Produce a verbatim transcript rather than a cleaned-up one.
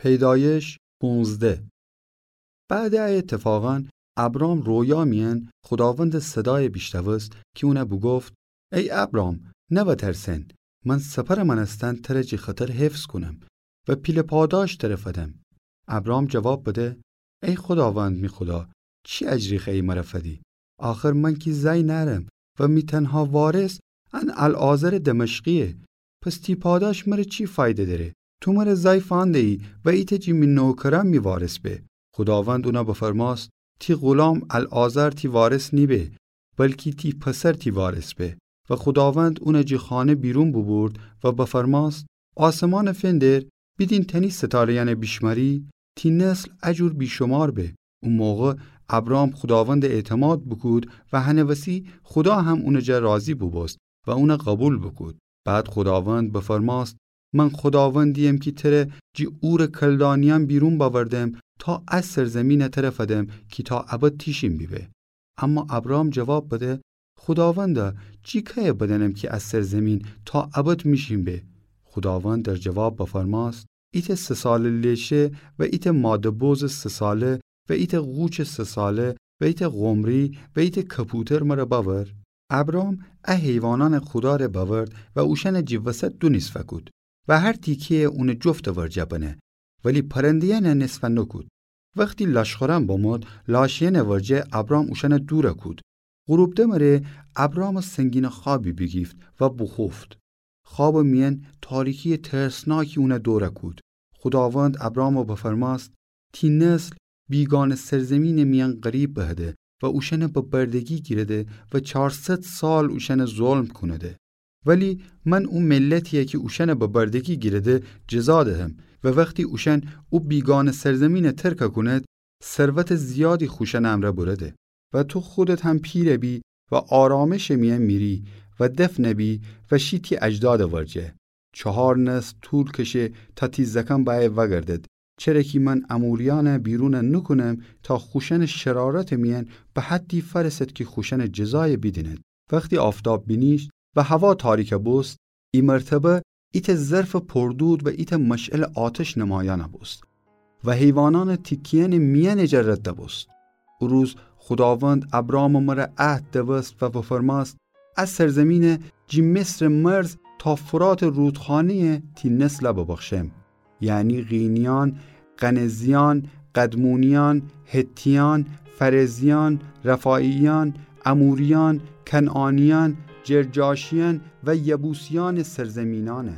پیدایش پونزده. بعدٚ ا ایتفاقأن ابرام رویا میأن خوداوندٚ صدای بیشنوست کی اون بوگفت: ای ابرام، نوترسن، من سپرٚ مأنستن تر جٚه خطر حفظ کونم و پیله پاداش تر فدم. ابرام جواب بده: ای خوداوند می خودا، چی اجری خوأیی مر فدی؟ آخر من کی زأی نأرم و می تنها وارث ان العازرٚ دمشقییه. پس تی پاداش مر چی فایده دأره؟ تو مر زأی فأندهیی و ایتأ جٚه می نوکرأن می وارث به. خوداوند اون بفرمأست: تی غلام العازر تی وارث نیبه، بلکی تی پسر تی وارث به. و خوداوند اون جٚه خانه بیرون بوبورد و بفرمأست: آسمأن فندر، بیدین تأنی ستارهیأن بیشمأری؟ تی نسل ا جور بیشمار به. او موقع ابرام خوداوند اعتماد بوکود و هنٚ وسی خودا هم اونٚ جا راضی بوبوست و اون قوبیل بوکود. بعد خوداوند بفرمأست: من خوداوندییم کی تر جٚه اورٚ کلدانیأن بیرون بأوردم تا ا سرزمین تر فدم کی تا ابد تیشین بیبه. اما ابرام جواب بده: خوداوندا، جٚه کیه بدأنم کی ا سرزمین تا ابد میشین به؟ خوداوند در جواب بفرمأست: ایتأ سه ساله لیشه و ایتأ ماده بزٚ سه ساله و ایتأ قوچٚ سه ساله و ایتأ قمری و ایتأ کپوتر مر بأور. ابرام ا حیوانأنٚ خودار بأورد و اوشأن جٚه وسط دو نیصف کود و هر تیکهیی اونٚ جفتٚ ورجه بنه، ولی پرندهیأن نیصف نوکود. وختی لاشخورأن بمرد، لاشهیأنٚ ورجه ابرام اوشأن دور کود. غروب دمره ابرام سنگین خوابی بیگیفت و بوخوفت. خوابٚ میأن تاریکی ترسناکی اون دور کود. خوداوند ابرام بفرمأست: تی نسل بیگانه سرزمینٚ میأن غریب بهده و اوشأن به بردگی گیرده و چارصد سال اوشأن ظلم کونده. ولی من او ملتیی کی اوشأن به بردگی گیرده جزا دهم و وختی اوشأن او بیگانه سرزمین ترک کوند، ثروتٚ زیادی خوشأنٚ امرأ برده و تو خودت هم پیر بی و آرامشٚ میأن میری و دفن بی و شی تی اجدادٚ ورجه. چهار نسل طول کشه تا تی زأکأن بأیه وأگردد، چره کی من اموریأن بیرون نوکونم تا خوشأنٚ شرارتٚ میأن به حدی فأرسد کی خوشأنٚ جزای بیدیند. وختی آفتاب بینیشت و هوا تاریک بوست، ای مرتبه ایتأ ظرفٚ پر دود و ایتأ مشعلٚ آتش نمایأن بوست و حیوانأنٚ تیکهیأنٚ میأنٚ جا رد بوست. او روز خوداوند ابرامٚ مر عهد دوست و بفرمأست: ا سرزمین جٚه مصرٚ مرز تا فراتٚ رودخانهیی تی نسل ببخشم، یعنی قینیأن، قنزیأن، قدمونیأن، حتیأن، فرزیأن، رفاییأن، اموریأن، کنعانیأن، جرجاشیأن و یبوسیأنٚ سرزمینأنه.